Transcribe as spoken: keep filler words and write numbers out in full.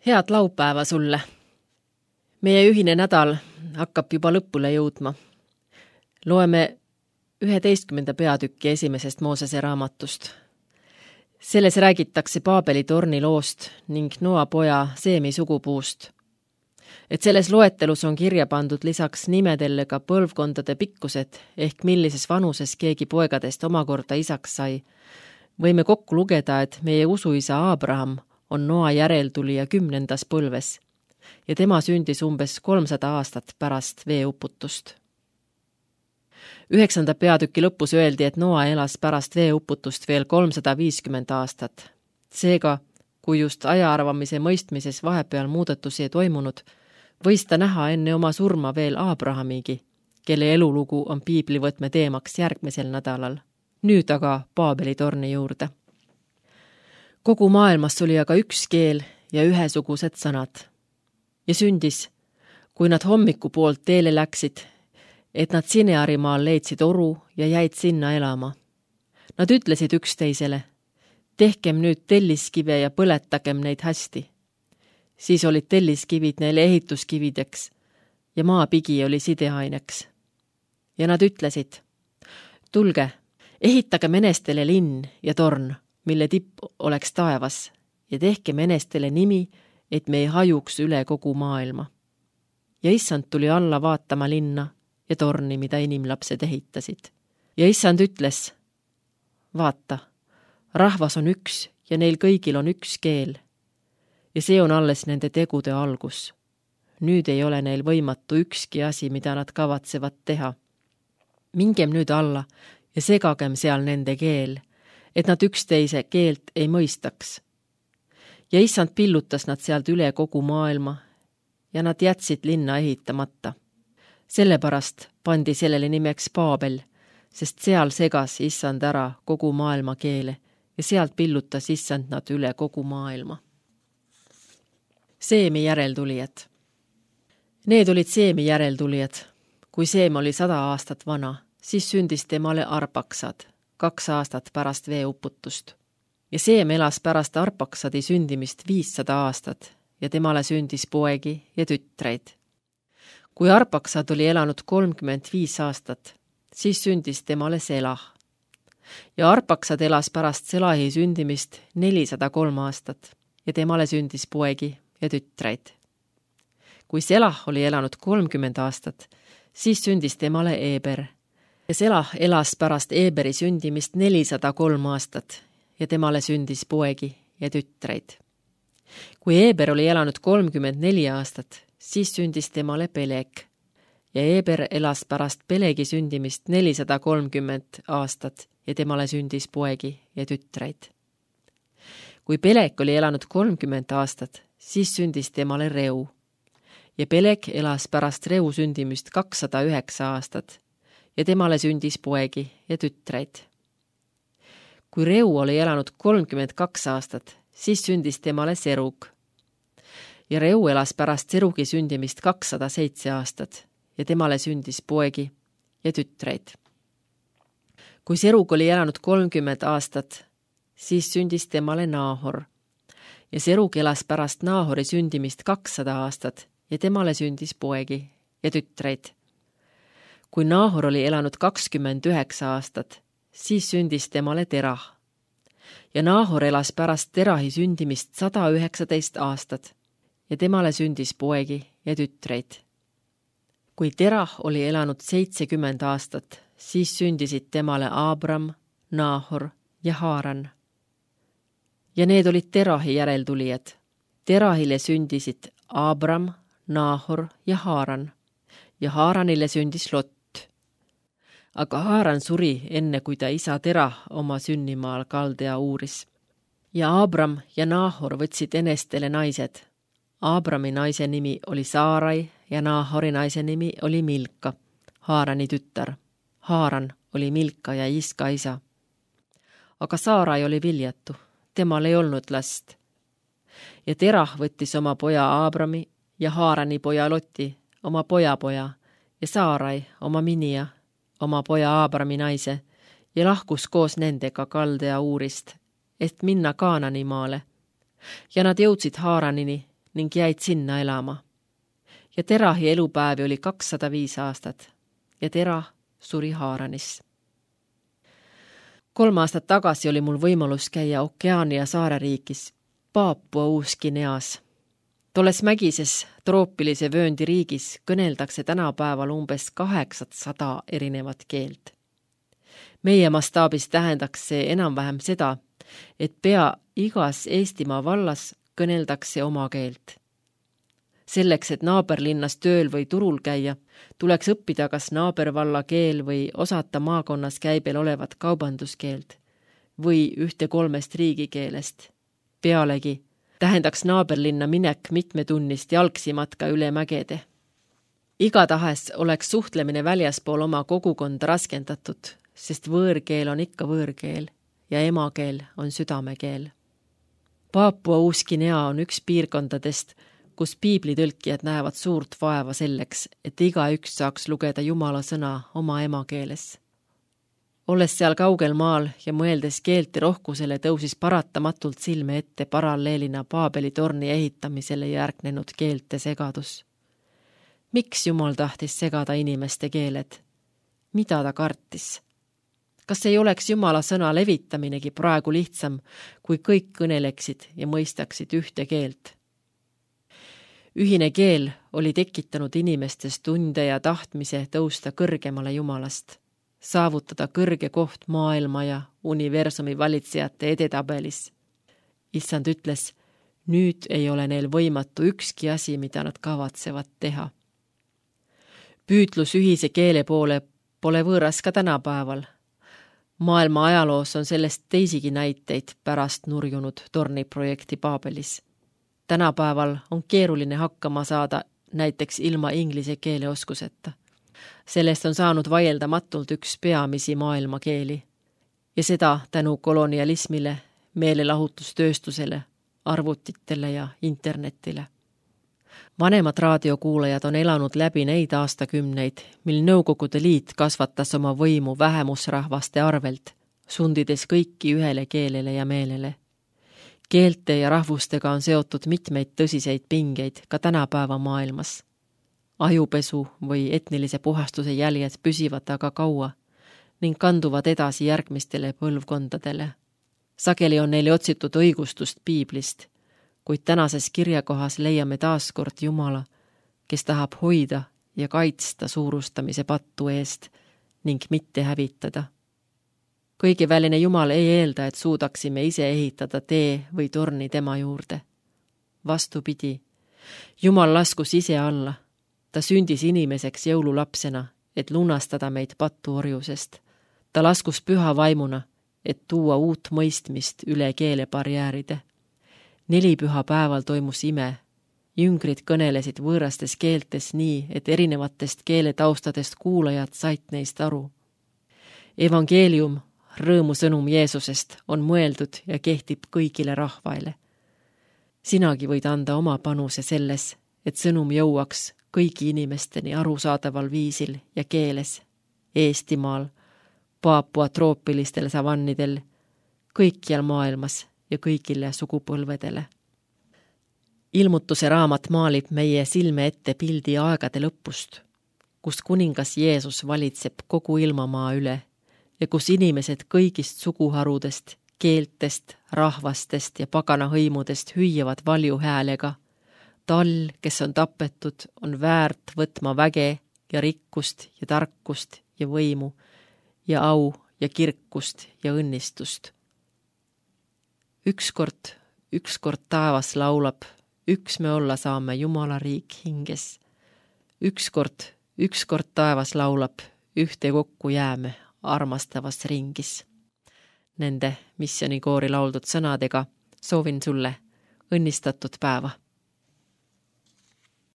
Head laupäeva sulle. Meie ühine nädal hakkab juba lõpule jõudma. Loeme üheteistkümnenda peatükki esimesest Moosese raamatust. Selles räägitakse Paabeli torni loost ning Noa poja Seemi sugupuust. Et selles loetelus on kirja pandud lisaks nimedele ka põlvkondade pikkused ehk millises vanuses keegi poegadest omakorda isaks sai. Võime kokku lugeda, et meie usuisa Abraham on Noa järeltulija kümnendas põlves ja tema sündis umbes kolmsada aastat pärast veeuputust. Üheksanda peatüki lõpus öeldi, et Noa elas pärast veeuputust veel kolmsada viiskümmend aastat. Seega, kui just ajaarvamise mõistmises vahepeal muudatusi ei toimunud, võis ta näha enne oma surma veel Abrahamigi, kelle elulugu on piiblivõtme teemaks järgmisel nädalal. Nüüd aga Paabeli torni juurde. Kogu maailmas oli aga üks keel ja ühesugused sõnad. Ja sündis, kui nad hommiku poolt teele läksid, et nad Sinearimaal leidsid oru ja jäid sinna elama. Nad ütlesid üksteisele, tehkem nüüd telliskive ja põletagem neid hästi. Siis olid telliskivid neile ehituskivideks ja maapigi oli sideaineks. Ja nad ütlesid, tulge, ehitage menestele linn ja torn, mille tipp oleks taevas, ja tehke menestele nimi, et me ei hajuks üle kogu maailma. Ja issand tuli alla vaatama linna ja torni, mida inimlapsed ehitasid. Ja issand ütles, vaata, rahvas on üks ja neil kõigil on üks keel. Ja see on alles nende tegude algus. Nüüd ei ole neil võimatu ükski asi, mida nad kavatsevad teha. Mingem nüüd alla ja segagem seal nende keel, et nad üksteise keelt ei mõistaks. Ja issand pillutas nad sealt üle kogu maailma ja nad jätsid linna ehitamata. Sellepärast pandi sellele nimeks Paabel, sest seal segas issand ära kogu maailma keele ja sealt pillutas issand nad üle kogu maailma. Seemi järeltulijad. Need olid Seemi järeltulijad. Kui Seem oli sada aastat vana, siis sündis temale Arpaksad, kaks aastat pärast veeuputust. Ja Seem elas pärast Arpaksadi sündimist viissada aastat ja temale sündis poegi ja tütreid. Kui Arpaksad oli elanud kolmkümmend viis aastat, siis sündis temale Selah. Ja Arpaksad elas pärast Selahi sündimist nelisada kolm aastat ja temale sündis poegi ja tütreid. Kui Selah oli elanud kolmkümmend aastat, siis sündis temale Eber. Ja Selah elas pärast Eberi sündimist nelisada kolm aastat ja temale sündis poegi ja tütreid. Kui Eber oli elanud kolmkümmend neli aastat, siis sündis temale Peleg. Ja Eber elas pärast Pelegi sündimist nelisada kolmkümmend aastat ja temale sündis poegi ja tütreid. Kui Peleg oli elanud kolmkümmend aastat, siis sündis temale Reu. Ja Peleg elas pärast Reu sündimist kakssada üheksa aastat ja temale sündis poegi ja tütreid. Kui Reu oli elanud kolmkümmend kaks aastat, siis sündis temale Serug. Ja Reu elas pärast Serugi sündimist kakssada seitse aastat ja temale sündis poegi ja tütreid. Kui Serug oli elanud kolmkümmend aastat, siis sündis temale Naahor. Ja Serug elas pärast Naahori sündimist kakssada aastat ja temale sündis poegi ja tütreid. Kui Naahor oli elanud kakskümmend üheksa aastat, siis sündis temale Terah. Ja Naahor elas pärast Terahi sündimist sada üheksateist aastat ja temale sündis poegi ja tütreid. Kui Terah oli elanud seitsekümmend aastat, siis sündisid temale Abram, Naahor ja Haaran. Ja need olid Terahi järeltulijad. Terahile sündisid Abram, Naahor ja Haaran. Ja Haaranile sündis Lot. Aga Haaran suri enne, kui ta isa Terah oma sünnimaal Kaldea uuris. Ja Abram ja Naahor võtsid enestele naised. Abrami naise nimi oli Saarai ja Naahori naise nimi oli Milka, Haarani tütar. Haaran oli Milka ja Iska isa. Aga Saarai oli viljatu, temal ei olnud last. Ja Terah võttis oma poja Abrami ja Haarani poja Loti, oma pojapoja, ja Saarai, oma minija, oma poja Abrami naise, ja lahkus koos nendega Kaldea uurist, et minna Kaanani maale. Ja nad jõudsid Haaranini ning jäid sinna elama. Ja Terahi elupäevi oli kakssada viis aastat ja Terah suri Haaranis. Kolm aastat tagasi oli mul võimalus käia Okeaania saareriigis Paapua Uus-Guineas. Tolles mägises troopilise vööndi riigis kõneldakse tänapäeval umbes kaheksasada erinevat keelt. Meie mastaabis tähendaks see enam-vähem seda, et pea igas Eestimaa vallas kõneldakse oma keelt. Selleks, et naaberlinnas tööl või turul käia, tuleks õppida kas naabervalla keel või osata maakonnas käibel olevat kaubanduskeelt või ühte kolmest riigikeelest. Pealegi tähendaks naaberlinna minek mitmetunnist jalgsimatka üle mägede. Igatahes oleks suhtlemine väljaspool oma kogukonda raskendatud, sest võõrkeel on ikka võõrkeel ja emakeel on südamekeel. Paapua Uus-Guinea on üks piirkondadest, kus piiblitõlkijad näevad suurt vaeva selleks, et igaüks saaks lugeda Jumala sõna oma emakeeles. Olles seal kaugel maal ja mõeldes keelte rohkusele, tõusis paratamatult silme ette paralleelina Paabeli torni ehitamisele järgnenud keelte segadus. Miks Jumal tahtis segada inimeste keeled? Mida ta kartis? Kas ei oleks Jumala sõna levitaminegi praegu lihtsam, kui kõik kõneleksid ja mõistaksid ühte keelt? Ühine keel oli tekitanud inimestes tunde ja tahtmise tõusta kõrgemale Jumalast, saavutada kõrge koht maailma ja universumi valitsejate edetabelis. Issand ütles, nüüd ei ole neil võimatu ükski asi, mida nad kavatsevad teha. Püütlus ühise keele poole pole võõras ka tänapäeval. Maailma ajaloos on sellest teisigi näiteid pärast nurjunud torniprojekti Paabelis. Tänapäeval on keeruline hakkama saada näiteks ilma inglise keele oskuseta. Sellest on saanud vaieldamatult üks peamisi maailmakeeli ja seda tänu kolonialismile, meelelahutustööstusele, arvutitele ja internetile. Vanemad raadiokuulajad on elanud läbi neid aastakümneid, mil Nõukogude Liit kasvatas oma võimu vähemusrahvaste arvelt, sundides kõiki ühele keelele ja meelele. Keelte ja rahvustega on seotud mitmeid tõsiseid pingeid ka tänapäeva maailmas. Ajupesu või etnilise puhastuse jäljed püsivad aga kaua ning kanduvad edasi järgmistele põlvkondadele. Sageli on neile otsitud õigustust piiblist, kuid tänases kirjakohas leiame taaskord Jumala, kes tahab hoida ja kaitsta suurustamise pattu eest ning mitte hävitada. Kõigeväline Jumal ei eelda, et suudaksime ise ehitada tee või torni tema juurde. Vastupidi, Jumal laskus ise alla. Ta sündis inimeseks jõululapsena, et lunastada meid pattuorjusest. Ta laskus püha vaimuna, et tuua uut mõistmist üle keelebarjääride. Nelipüha päeval toimus ime. Jüngrid kõnelesid võõrastes keeltes nii, et erinevatest keeletaustadest kuulajad said neist aru. Evangeelium, rõõmusõnum Jeesusest, on mõeldud ja kehtib kõigile rahvaile. Sinagi võid anda oma panuse selles, et sõnum jõuaks kõigi inimesteni arusaadaval viisil ja keeles, Eestimaal, Paapua troopilistel savannidel, kõikjal maailmas ja kõigile sugupõlvedele. Ilmutuse raamat maalib meie silme ette pildi aegade lõpust, kus kuningas Jeesus valitseb kogu ilmamaa üle ja kus inimesed kõigist suguharudest, keeltest, rahvastest ja pagana hõimudest hüüavad valju häälega. Tal, kes on tapetud, on väärt võtma väge ja rikkust ja tarkust ja võimu ja au ja kirkust ja õnnistust. Ükskord, ükskord taevas laulab, üks me olla saame Jumala riik hinges. Ükskord, ükskord taevas laulab, ühte kokku jääme armastavas ringis. Nende missionikoori lauldud sõnadega soovin sulle õnnistatud päeva.